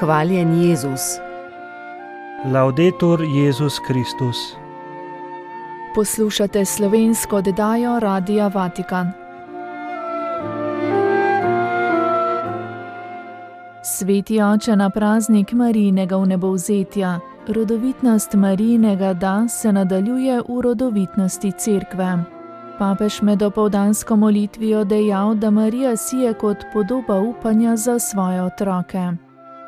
Hvaljen Jezus. Laudetur Jezus Kristus. Poslušate slovensko oddajo Radia Vatikan. Sveti oče, na praznik Marijinega vnebovzetja, rodovitnost Marijinega da se nadaljuje v rodovitnosti Cerkve. Papež med opoldansko molitvijo dejal, da Marija sije kot podoba upanja za svoje otroke.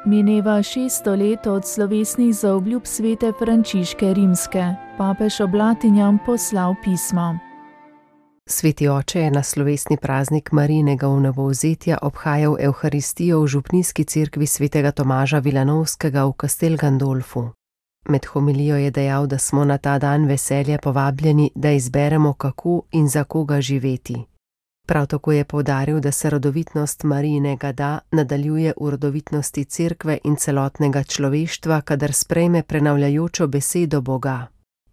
Mineva 600 let od slovesnih zaobljub svete Frančiške Rimske. Papež oblatinjam poslal pismo. Sveti oče je na slovesni praznik Marijinega vnebovzetja obhajal Evharistijo v župnijski cerkvi svetega Tomaža Vilanovskega v Castel Gandolfu. Med homilijo je dejal, da smo na ta dan veselja povabljeni, da izberemo, kako in za koga živeti. Prav tako je poudaril, da se rodovitnost Marijinega da nadaljuje v rodovitnosti cerkve in celotnega človeštva, kadar sprejme prenavljajočo besedo Boga.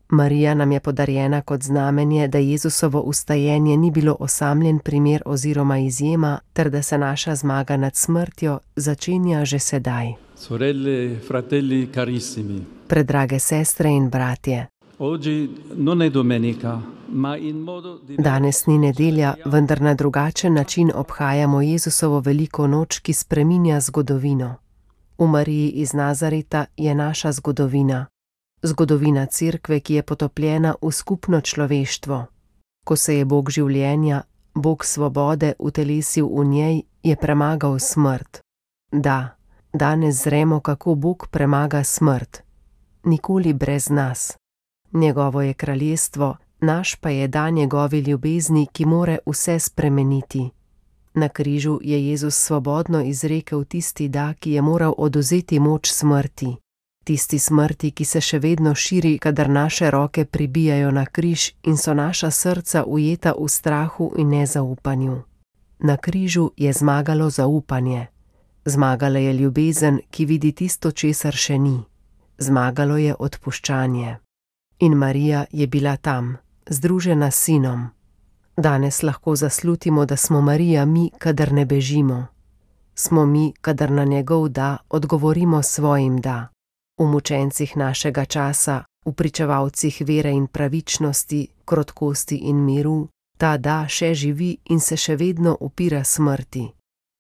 Marija nam je podarjena kot znamenje, da Jezusovo vstajenje ni bilo osamljen primer oziroma izjema, ter da se naša zmaga nad smrtjo začenja že sedaj. Sorelle, fratelli carissimi. Predrage sestre in bratje. Oggi non è domenica, ma in modo Danes ni nedelja, vendar na drugačen način obhajamo Jezusovo veliko noč, ki spreminja zgodovino. V Mariji iz Nazareta je naša zgodovina. Zgodovina cerkve, ki je potopljena v skupno človeštvo. Ko se je Bog življenja, Bog svobode utelesil v njej, je premagal smrt. Da, danes zremo, kako Bog premaga smrt. Nikoli brez nas. Njegovo je kraljestvo, naš pa je da njegovi ljubezni, ki more vse spremeniti. Na križu je Jezus svobodno izrekel tisti da, ki je moral odvzeti moč smrti. Tisti smrti, ki se še vedno širi, kadar naše roke pribijajo na križ in so naša srca ujeta v strahu in nezaupanju. Na križu je zmagalo zaupanje. Zmagala je ljubezen, ki vidi tisto, česar še ni. Zmagalo je odpuščanje. In Marija je bila tam, združena s sinom. Danes lahko zaslutimo, da smo Marija mi, kadar ne bežimo. Smo mi, kadar na njegov da odgovorimo svojim da. V mučencih našega časa, v pričevalcih vere in pravičnosti, krotkosti in miru, ta da še živi in se še vedno upira smrti.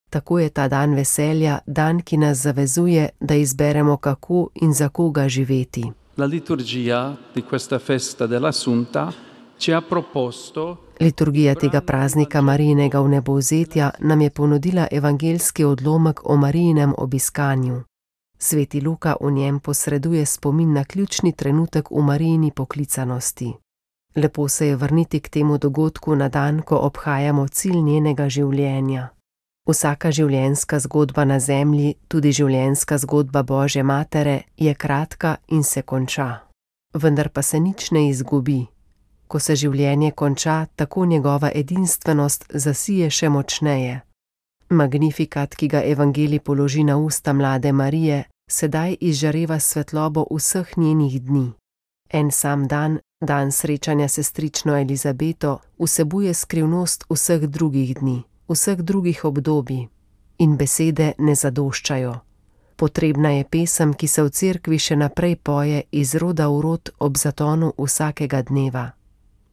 Tako je ta dan veselja, dan, ki nas zavezuje, da izberemo, kako in za koga živeti. La liturgia di questa festa dell'Assunta ci ha proposto. Liturgija tega praznika Marijinega vnebovzetja nam je ponudila evangeljski odlomek o Marijinem obiskanju. Sveti Luka v njem posreduje spomin na ključni trenutek v Marijini poklicanosti. Lepo se je vrniti k temu dogodku na dan, ko obhajamo cilj njenega življenja. Vsaka življenjska zgodba na zemlji, tudi življenjska zgodba Božje matere, je kratka in se konča. Vendar pa se nič ne izgubi. Ko se življenje konča, tako njegova edinstvenost zasije še močneje. Magnifikat, ki ga evangelij položi na usta mlade Marije, sedaj izžareva svetlobo vseh njenih dni. En sam dan, dan srečanja s sestrično Elizabeto, vsebuje skrivnost vseh drugih dni, vseh drugih obdobij. In besede ne zadoščajo. Potrebna je pesem, ki se v cerkvi še naprej poje iz roda v rod ob zatonu vsakega dneva.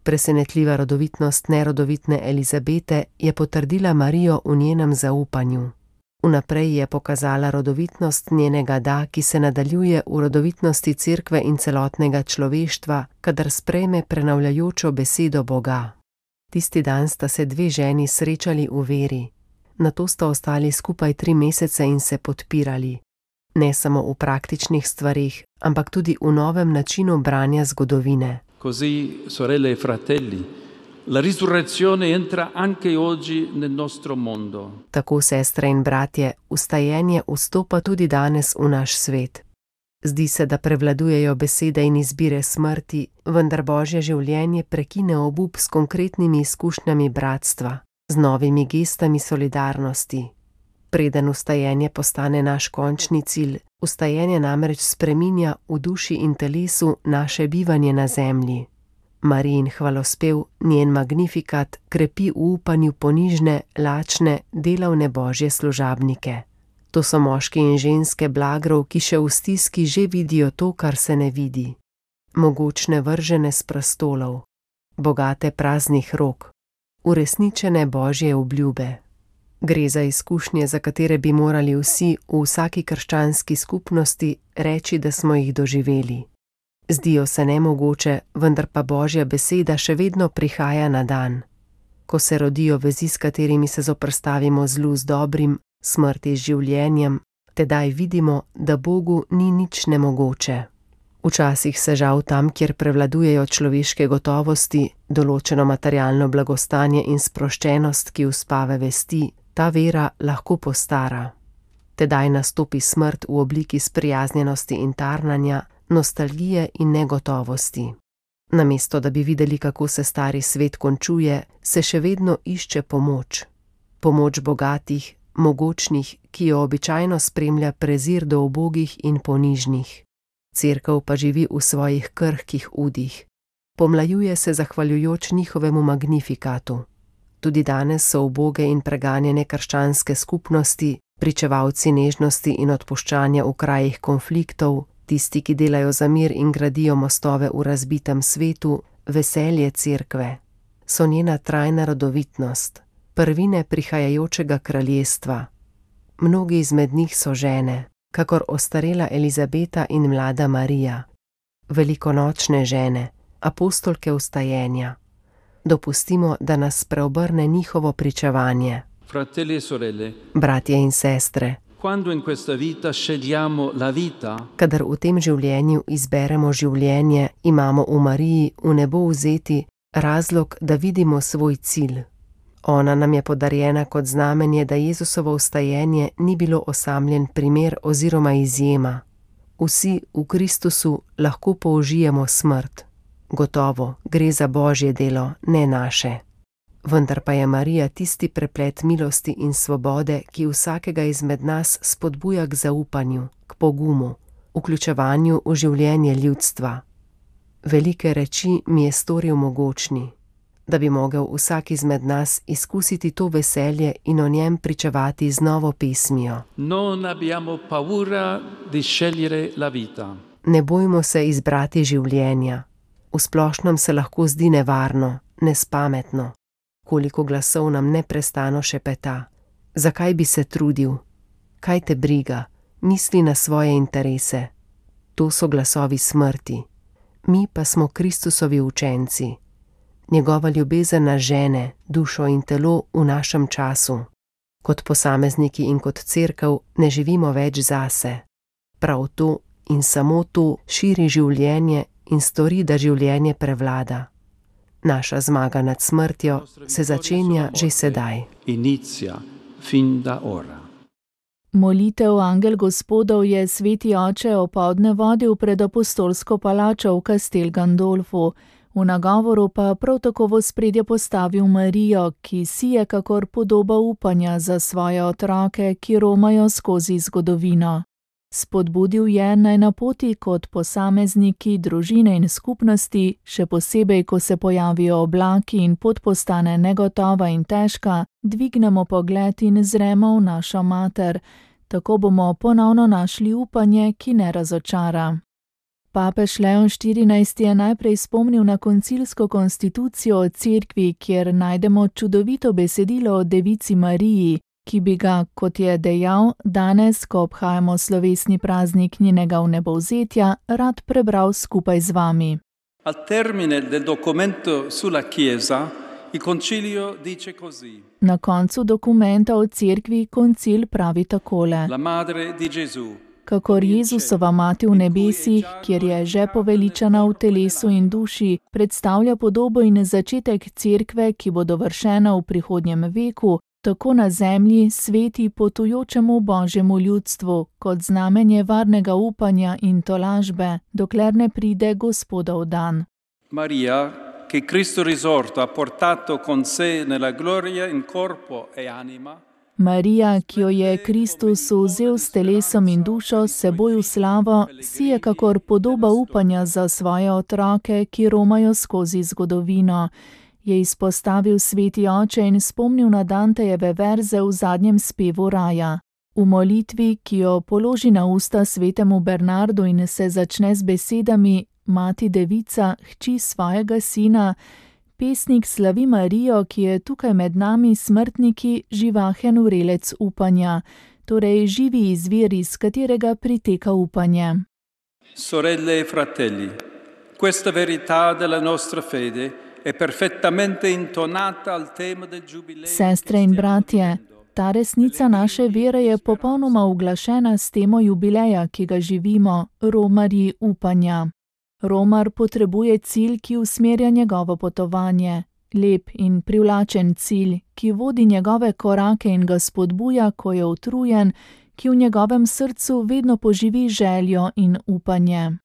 Presenetljiva rodovitnost nerodovitne Elizabete je potrdila Marijo v njenem zaupanju. Vnaprej je pokazala rodovitnost njenega da, ki se nadaljuje v rodovitnosti cerkve in celotnega človeštva, kadar sprejme prenavljajočo besedo Boga. Tisti dan sta se dve ženi srečali v veri. Nato sta ostali skupaj 3 mesece in se podpirali. Ne samo v praktičnih stvarih, ampak tudi v novem načinu branja zgodovine. Così, sorelle e fratelli, la risurrezione entra anche oggi nel nostro mondo. Tako, sestre in bratje, vstajenje vstopa tudi danes v naš svet. Zdi se, da prevladujejo besede in izbire smrti, vendar Božje življenje prekine obup s konkretnimi izkušnjami bratstva, z novimi gestami solidarnosti. Preden vstajenje postane naš končni cilj, vstajenje namreč spreminja v duši in telesu naše bivanje na zemlji. Marijin hvalospev, njen magnifikat, krepi v upanju ponižne, lačne, delavne Božje služabnike. To so moški in ženske blagrov, ki še v stiski že vidijo to, kar se ne vidi. Mogočne vržene s prestolov, bogate praznih rok, uresničene Božje obljube. Gre za izkušnje, za katere bi morali vsi v vsaki krščanski skupnosti reči, da smo jih doživeli. Zdijo se nemogoče, vendar pa Božja beseda še vedno prihaja na dan. Ko se rodijo vezi, s katerimi se zoperstavimo zlu z dobrim, smrti z življenjem, tedaj vidimo, da Bogu ni nič nemogoče. Včasih se žal tam, kjer prevladujejo človeške gotovosti, določeno materialno blagostanje in sproščenost, ki uspave vesti, ta vera lahko postara. Tedaj nastopi smrt v obliki sprijaznjenosti in tarnanja, nostalgije in negotovosti. Namesto da bi videli, kako se stari svet končuje, se še vedno išče pomoč. Pomoč bogatih, mogočnih, ki jo običajno spremlja prezir do ubogih in ponižnih. Cerkev pa živi v svojih krhkih udih. Pomlajuje se zahvaljujoč njihovemu magnifikatu. Tudi danes so uboge in preganjene krščanske skupnosti, pričevalci nežnosti in odpuščanja v krajih konfliktov, tisti, ki delajo za mir in gradijo mostove v razbitem svetu, veselje cerkve. So njena trajna rodovitnost, prvine prihajajočega kraljestva. Mnogi izmed njih so žene, kakor ostarela Elizabeta in mlada Marija. Velikonočne žene, apostolke vstajenja. Dopustimo, da nas preobrne njihovo pričevanje. Fratelli e sorelle, bratje in sestre, quando in questa vita scegliamo la vita, kadar v tem življenju izberemo življenje, imamo v Mariji v nebo vzeti razlog, da vidimo svoj cilj. Ona nam je podarjena kot znamenje, da Jezusovo vstajenje ni bilo osamljen primer oziroma izjema. Vsi v Kristusu lahko použijemo smrt. Gotovo, gre za Božje delo, ne naše. Vendar pa je Marija tisti preplet milosti in svobode, ki vsakega izmed nas spodbuja k zaupanju, k pogumu, vključevanju v življenje ljudstva. Velike reči mi je storil mogočni, da bi mogel vsak izmed nas izkusiti to veselje in o njem pričevati z novo pesmijo. non abbiamo paura di scegliere la vita. Ne bojmo se izbrati življenja. V splošnem se lahko zdi nevarno, nespametno. Koliko glasov nam neprestano šepeta. Zakaj bi se trudil? Kaj te briga? Misli na svoje interese. To so glasovi smrti. Mi pa smo Kristusovi učenci. Njegova ljubezen nas žene, dušo in telo v našem času. Kot posamezniki in kot cerkev ne živimo več zase. Prav to in samo to širi življenje in stori, da življenje prevlada. Naša zmaga nad smrtjo se začenja že sedaj. Inizia fin da ora. Molitev Angel Gospodov je sveti oče opoldne vodil pred apostolsko palačo v Castel Gandolfu. V nagovoru pa prav tako v ospredje postavil Marijo, ki sije kakor podoba upanja za svoje otroke, ki romajo skozi zgodovino. Spodbudil je, naj na poti kot posamezniki, družine in skupnosti, še posebej, ko se pojavijo oblaki in pot postane negotova in težka, dvignemo pogled in zremo v našo mater. Tako bomo ponovno našli upanje, ki ne razočara. Papež Leon XIV je najprej spomnil na koncilsko konstitucijo o cerkvi, kjer najdemo čudovito besedilo o Devici Mariji, ki bi ga, kot je dejal, danes, ko obhajamo slovesni praznik njenega vnebovzetja, rad prebral skupaj z vami. Al termine del documento sulla Chiesa, il concilio dice così. Na koncu dokumenta o cerkvi koncil pravi takole. La madre di Gesù. Kakor Jezusova mati v nebesih, kjer je že poveličana v telesu in duši, predstavlja podobo in začetek cerkve, ki bo dovršena v prihodnjem veku, tako na zemlji sveti potujočemu Božjemu ljudstvu, kot znamenje varnega upanja in tolažbe, dokler ne pride Gospodov dan. Maria, che Cristo risorto ha portato con sé nella gloria in corpo e anima. Marija, ki jo je Kristus vzel s telesom in dušo seboj v slavo, sije kakor podoba upanja za svoje otroke, ki romajo skozi zgodovino. Je izpostavil sveti oče in spomnil na Dantejeve verze v zadnjem spevu raja. V molitvi, ki jo položi na usta svetemu Bernardu in se začne z besedami: Mati devica, hči svojega sina, pesnik slavi Marijo, ki je tukaj med nami smrtniki živahen vrelec upanja, torej živi izvir, iz katerega priteka upanje. Sorelle e fratelli, questa verità della nostra fede è perfettamente intonata al tema del giubileo. Sestre in bratje, ta resnica naše vere je popolnoma uglašena s temo jubileja, ki ga živimo, romarji upanja. Romar potrebuje cilj, ki usmerja njegovo potovanje, lep in privlačen cilj, ki vodi njegove korake in ga spodbuja, ko je utrujen, ki v njegovem srcu vedno poživi željo in upanje.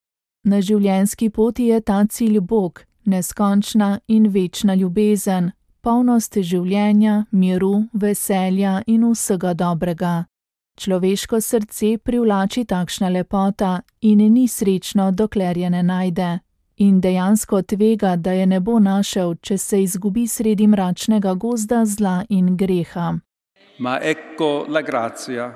Na življenjski poti je ta cilj Bog, neskončna in večna ljubezen, polnost življenja, miru, veselja in vsega dobrega. Človeško srce privlači takšna lepota in ni srečno, dokler je ne najde. In dejansko tvega, da je ne bo našel, če se izgubi sredi mračnega gozda zla in greha. Ma ecco la grazia.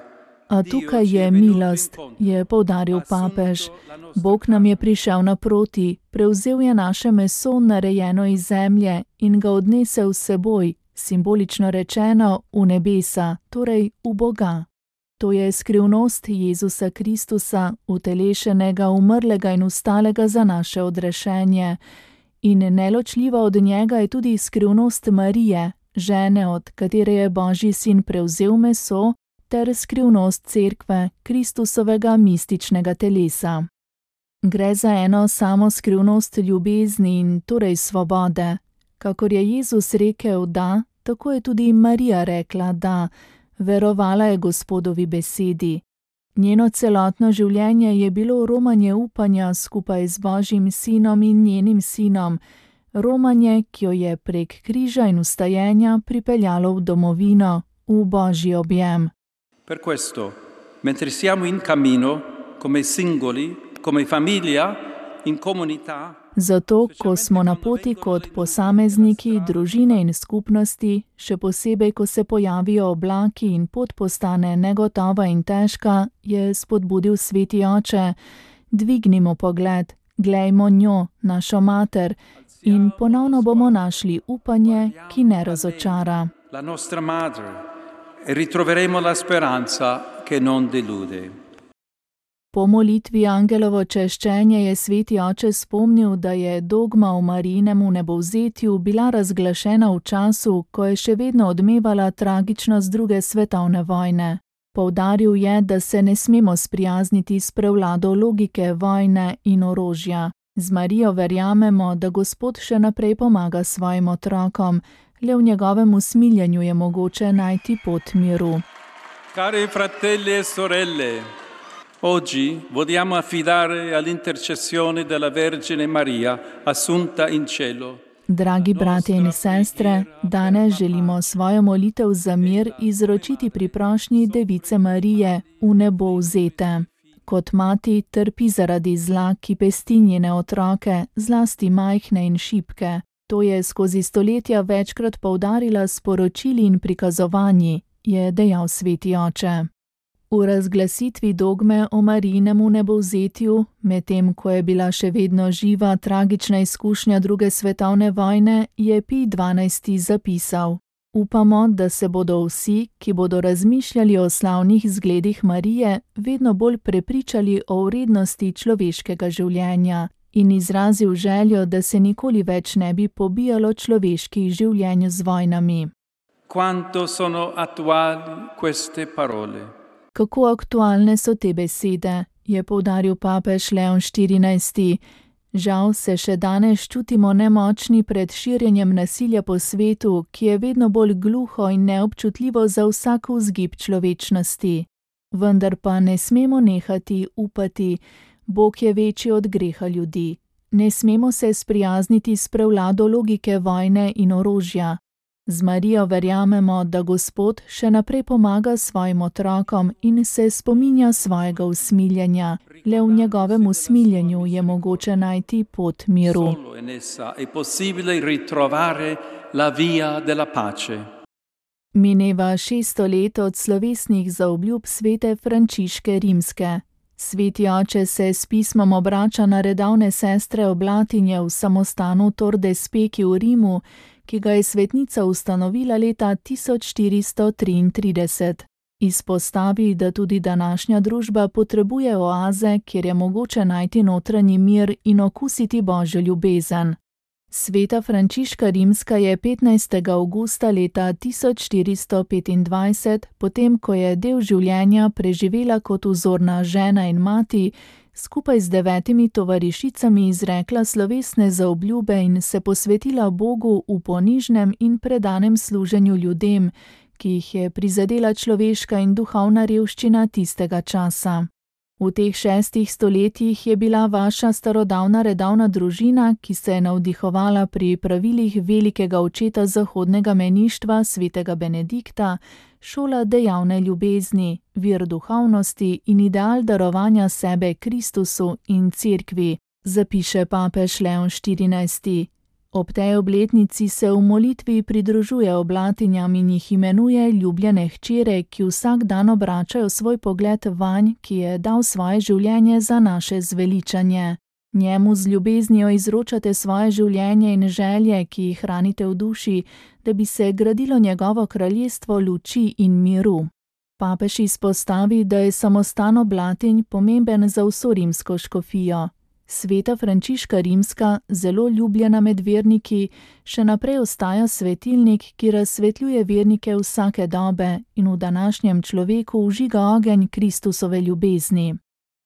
A tukaj je milost, je poudaril papež. Bog nam je prišel naproti, prevzel je naše meso, narejeno iz zemlje, in ga odnesel s seboj, simbolično rečeno, v nebesa, torej v Boga. To je skrivnost Jezusa Kristusa, utelešenega, umrlega in vstalega za naše odrešenje. In neločljiva od njega je tudi skrivnost Marije, žene, od katere je Božji sin prevzel meso, ter skrivnost Cerkve, Kristusovega mističnega telesa. Gre za eno samo skrivnost ljubezni in torej svobode. Kakor je Jezus rekel da, tako je tudi Marija rekla da, verovala je Gospodovi besedi. Njeno celotno življenje je bilo romanje upanja skupaj z Božjim sinom in njenim sinom, romanje, ki jo je prek križa in vstajenja pripeljalo v domovino, v Božji objem. Per questo, mentre siamo in cammino, come singoli, come famiglia, in comunità, Zato, ko smo na poti kot posamezniki, družine in skupnosti, še posebej, ko se pojavijo oblaki in pot postane negotova in težka, je spodbudil sveti oče: dvignimo pogled, glejmo njo, našo mater, in ponovno bomo našli upanje, ki ne razočara. la nostra madre, e ritroveremo la speranza che non delude. Po molitvi angelovo češčenje je sveti oče spomnil, da je dogma o Marijinem vnebovzetju bila razglašena v času, ko je še vedno odmevala tragičnost druge svetovne vojne. Poudaril je, da se ne smemo sprijazniti s prevlado logike vojne in orožja. Z Marijo verjamemo, da Gospod še naprej pomaga svojim otrokom, le v njegovem usmiljenju je mogoče najti pot miru. Cari fratelli e sorelle, oggi vogliamo affidare all'intercessione della Vergine Maria assunta in cielo. Dragi bratje in sestre, danes želimo svojo molitev za mir izročiti pri prošnji Device Marije, v nebo vzete. Kot mati trpi zaradi zla, ki pesti njene otroke, zlasti majhne in šibke. To je skozi stoletja večkrat poudarila s poročili in prikazovanji, je dejal sveti oče. V razglasitvi dogme o Marijinem vnebovzetju, medtem ko je bila še vedno živa tragična izkušnja druge svetovne vojne, je Pij XII. Zapisal: Upamo, da se bodo vsi, ki bodo razmišljali o slavnih zgledih Marije, vedno bolj prepričali o vrednosti človeškega življenja in izrazil željo, da se nikoli več ne bi pobijalo človeških življenj z vojnami. Quanto sono attuali queste parole. Kako aktualne so te besede, je poudaril papež Leon XIV. Žal se še danes čutimo nemočni pred širjenjem nasilja po svetu, ki je vedno bolj gluho in neobčutljivo za vsak vzgib človečnosti. Vendar pa ne smemo nehati upati, Bog je večji od greha ljudi. Ne smemo se sprijazniti s prevlado logike vojne in orožja. Z Marijo verjamemo, da Gospod še naprej pomaga svojim otrokom in se spominja svojega usmiljenja. Le v njegovem usmiljenju je mogoče najti pot miru. Solo in essa è possibile ritrovare la via della pace. Mineva 600 let od slovesnih zaobljub svete Frančiške Rimske. Sveti oče se s pismom obrača na redovne sestre oblatinje v samostanu Tor de Speki v Rimu, ki ga je svetnica ustanovila leta 1433. Izpostavi, da tudi današnja družba potrebuje oaze, kjer je mogoče najti notranji mir in okusiti Božjo ljubezen. Sveta Frančiška Rimska je 15. avgusta leta 1425, potem ko je del življenja preživela kot vzorna žena in mati, skupaj z 9 tovarišicami izrekla slovesne zaobljube in se posvetila Bogu v ponižnem in predanem služenju ljudem, ki jih je prizadela človeška in duhovna revščina tistega časa. V teh 6 stoletjih je bila vaša starodavna redovna družina, ki se je navdihovala pri pravilih velikega očeta zahodnega meništva, svetega Benedikta, šola dejavne ljubezni, vir duhovnosti in ideal darovanja sebe Kristusu in Cerkvi, zapiše papež Leon XIV. Ob tej obletnici se v molitvi pridružuje oblatinjam in jih imenuje ljubljene hčere, ki vsak dan obračajo svoj pogled vanj, ki je dal svoje življenje za naše zveličanje. Njemu z ljubeznijo izročate svoje življenje in želje, ki jih hranite v duši, da bi se gradilo njegovo kraljestvo luči in miru. Papež izpostavi, da je samostan oblatinj pomemben za vso rimsko škofijo. Sveta Frančiška Rimska, zelo ljubljena med verniki, še naprej ostaja svetilnik, ki razsvetljuje vernike vsake dobe in v današnjem človeku vžiga ogenj Kristusove ljubezni.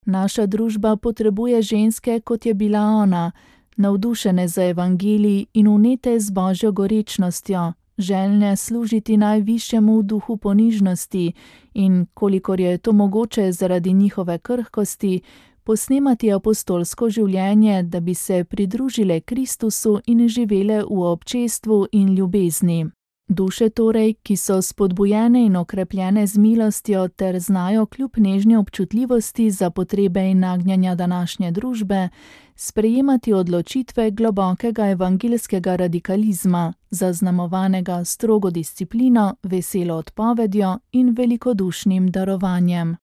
Naša družba potrebuje ženske, kot je bila ona, navdušene za evangelij in vnete z Božjo gorečnostjo, željne služiti najvišjemu v duhu ponižnosti in, kolikor je to mogoče zaradi njihove krhkosti, posnemati apostolsko življenje, da bi se pridružile Kristusu in živele v občestvu in ljubezni. Duše torej, ki so spodbujene in okrepljene z milostjo ter znajo kljub nežni občutljivosti za potrebe in nagnjanja današnje družbe, sprejemati odločitve globokega evangeljskega radikalizma, zaznamovanega strogo disciplino, veselo odpovedjo in velikodušnim darovanjem.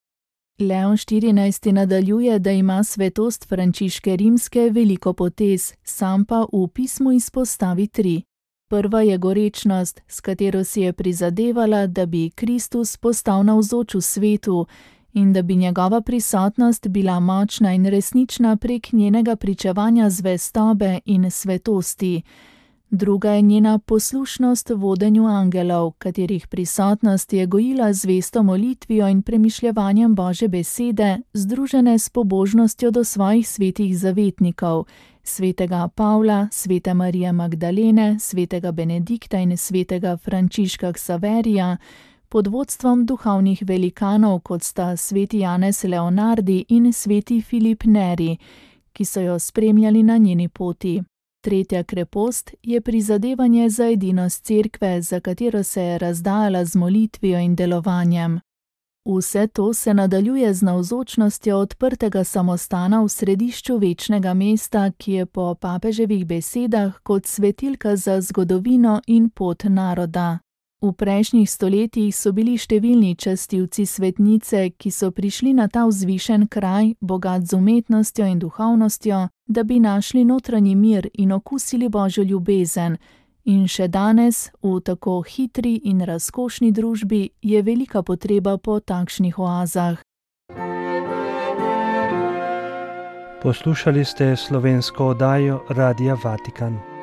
Leon XIV. Nadaljuje, da ima svetost Frančiške Rimske veliko potez, sam pa v pismu izpostavi 3. Prva je gorečnost, s katero si je prizadevala, da bi Kristus postal navzoč v svetu in da bi njegova prisotnost bila močna in resnična prek njenega pričevanja zvestobe in svetosti. Druga je njena poslušnost vodenju angelov, katerih prisotnost je gojila zvesto molitvijo in premišljevanjem Božje besede, združene s pobožnostjo do svojih svetih zavetnikov, svetega Pavla, svete Marije Magdalene, svetega Benedikta in svetega Frančiška Ksaverija, pod vodstvom duhovnih velikanov, kot sta sveti Janez Leonardi in sveti Filip Neri, ki so jo spremljali na njeni poti. Tretja krepost je prizadevanje za edinost Cerkve, za katero se je razdajala z molitvijo in delovanjem. Vse to se nadaljuje z navzočnostjo odprtega samostana v središču večnega mesta, ki je po papeževih besedah kot svetilka za zgodovino in pot naroda. V prejšnjih stoletjih so bili številni častilci svetnice, ki so prišli na ta vzvišen kraj, bogat z umetnostjo in duhovnostjo, da bi našli notranji mir in okusili Božjo ljubezen. In še danes, v tako hitri in razkošni družbi, je velika potreba po takšnih oazah. Poslušali ste slovensko oddajo Radia Vatikan.